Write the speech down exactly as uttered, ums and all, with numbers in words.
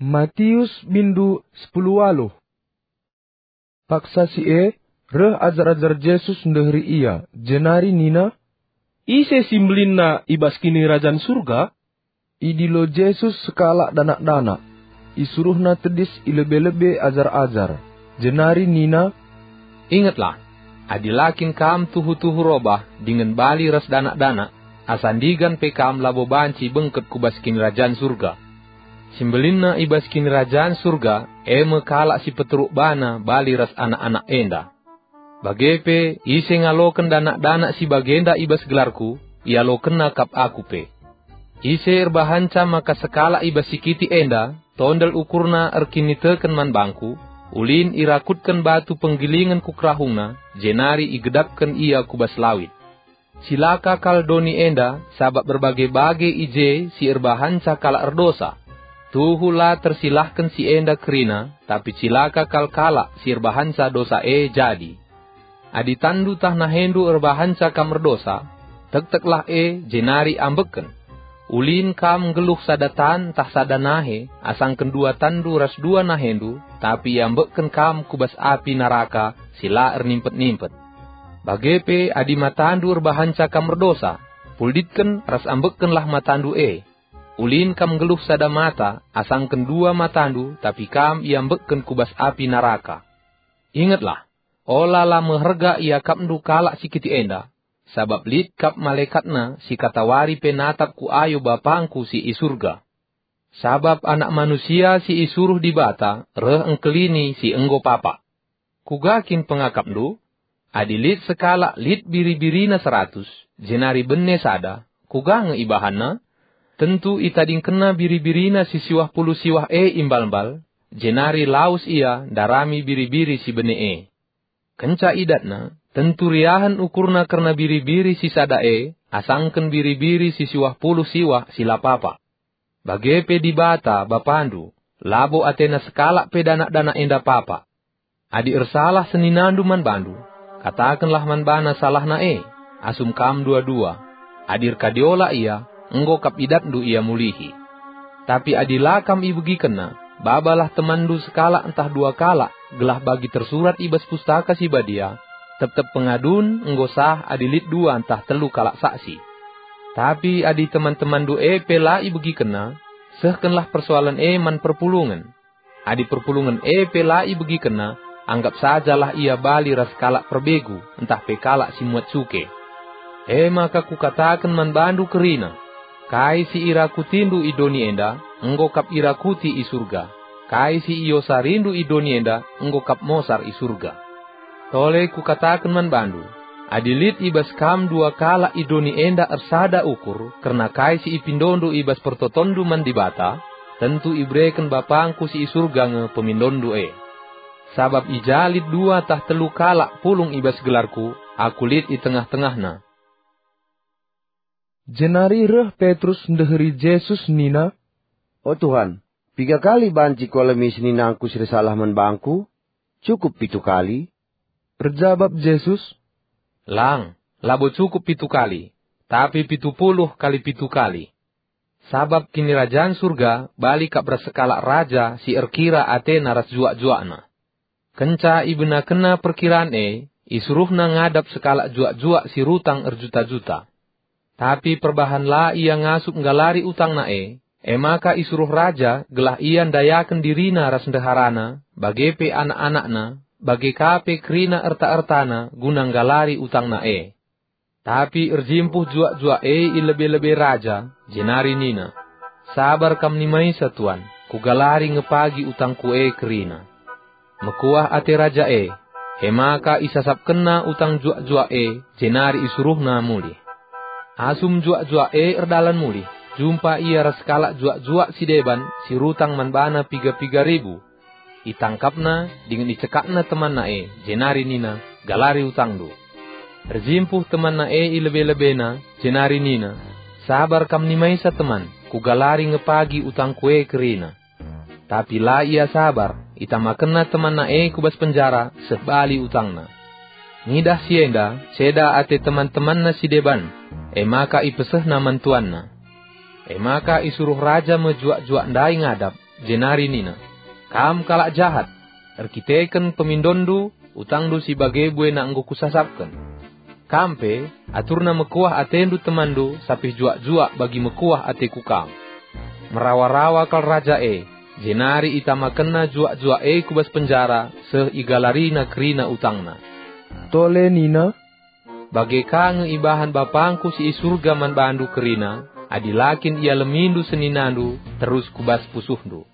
Matius bindu sepuluh waluh. Paksa si e, reh ajar-ajar Jesus ndeheri ia, jenari nina, "Ise si mbelinna i bas Kinirajan Surga?" Idilo Jesus sekalak danak-danak. IsuruhNa tedis i lebe-lebe ajar-ajar, jenari nina, "Ingetlah, adi la kin kam tuhu-tuhu robah dingen bali ras danak-danak, asa ndigan pe kam labo banci bengket ku bas Kinirajan Surga. Si mbelinna i bas Kinirajan Surga, e me kalak si peteruk bana bali ras anak-anak enda. Bage pe, ise ngaloken danak-danak si bagenda i bas gelarKu, ialokenna kap Aku pe. Ise erbahanca maka sekalak i bas si kitik enda, tondel ukurna erkiniteken man bangKu, ulin irakutken batu penggilingen ku kerahungna, jenari igedapken ia ku bas lawit. Cilaka kal doni enda, sabap erbage-bage i je si erbahanca kalak erdosa. Tuhu la tersilahken si enda kerina, tapi cilaka kal kalak si erbahanca dosa e jadi. Adi tanndu tah nahendu erbahanca kam erdosa, tekteklah e, jenari ambekken. Ulin kam nggeluh sada tan tah sada nahe, asangken dua tanndu ras dua nahendu, tapi iambekken kam ku bas api naraka si la ernimpet-nimpet. Bage pe adi matandu erbahanca kam erdosa, pulditken ras ambekkenlah matandu e. Ulin kam nggeluh sada mata, asangken dua matandu, tapi kam iambekken ku bas api naraka. Ingetlah, ola la meherga iakapndu kalak si kitik enda, sabap lit kap malaekatna si katawari pe natap ku ayo BapangKu si i Surga. Sabap Anak Manusia si isuruh Dibata reh engkelini si enggo papa. Kuga kin pengakapndu? Adi lit sekalak lit biri-birina seratus, jenari bene sada, kuga nge ibahanna? Tentu itadingkenna biri-birina si siwah puluh siwah e i mbal-mbal, jenari lawes ia ndarami biri-biri si bene e. Kenca idatna, tentu riahen ukurna kerna biri-biri si sada e, asangken biri-biri si siwah puluh siwah si la papa. Bage pe Dibata, Bapandu, labo atena sekalak pe danak-danak enda papa. Adi ersalah seninandu man bandu, katakenlah man bana salahna e, asum kam dua-dua. Adi erkadiola ia, enggo kap idatndu ia mulihi. Tapi adi la kam ibegikenna, babalah temanndu sekalak ntah dua kalak, gelah bagi tersurat i bas Pustaka Si Badia, "Tep-tep pengadun enggo sah adi lit dua ntah telu kalak saksi." Tapi adi teman-temanndu e pe la ibegikenna, sehkenlah persoalen e man perpulungen. Adi perpulungen e pe la ibegikenna, anggap sajalah ia bali ras kalak perbegu ntah pe kalak si muat cuke. E maka kukataken man bandu kerina, kai si irakutindu i doni enda, enggo kap irakuti i Surga. Kai si iosarindu i doni enda, enggo kap mosar i Surga. Tole kukataken man bandu, adi lit i bas kam dua kalak i doni enda ersada ukur kerna kai si ipindondu i bas pertotonndu man Dibata, tentu ibereken BapangKu si i Surga nge pemindonndu e. Sabap i ja lit dua tah telu kalak pulung i bas gelarKu, Aku lit i tengah-tengahna." Jenari reh Petrus ndeheri Jesus nina, "O Tuhan, piga kali banci kualemi seninangku si ersalah man bangku? Cukup pitu kali?" Erjabap Jesus, "Lang, labo cukup pitu kali, tapi pitu puluh kali pitu kali. Sabap Kinirajan Surga bali kap ras sekalak raja si erkira atena ras juak-juakna. Kenca ibenakenna perkiran e, isuruhna ngadap sekalak juak-juak si rutang erjuta-juta. Tapi perbahan la ia ngasup nggalari utangna e, e maka isuruh raja gelah ia ndayaken dirina ras ndeharana, bage pe anak-anakna, bage ka pe kerina erta-ertana guna nggalari utangna e. Tapi erjimpuh juak-juak e i lebe-lebe raja, jenari nina, 'Sabar kam nimaisa, tuan, kugalari nge pagi utangku e kerina.' Mekuah ate raja e, e maka isasapkenna utang juak-juak e, jenari isuruhna mulih. Asum juak-juak e erdalan mulih, jumpa ia ras kalak juak-juak si deban si rutang man bana piga-piga ribu. Itangkapna dingen icekakna temanna e, jenari nina, 'Galari utangndu.' Erjimpuh temanna e i lebe-lebena, jenari nina, 'Sabar kam nimaisa, teman, kugalari nge pagi utangku e kerina.' Tapi la ia sabar, itamakenna temanna e ku bas penjara seh bali utangna. Ngidah si enda, ceda ate teman-temanna si deban, e maka ipesehna man tuanna. E maka isuruh raja me juak-juak ndai ngadap, jenari nina, "Kam kalak jahat! Erkiteken pemindonndu, utangndu si bage buena enggo kusasapken. Kam pe, aturna mekuah atendu temanndu sapih juak-juak bagi mekuah ateku kam." Merawa-rawa kal raja e, jenari itamakenna juak-juak e ku bas penjara seh igalarina kerina utangna. Tole nina, "Bage ka nge ibahan Bapangku si i Surga man bandu kerina, adi la kin ialemindu seninandu terus ku bas pusuhndu."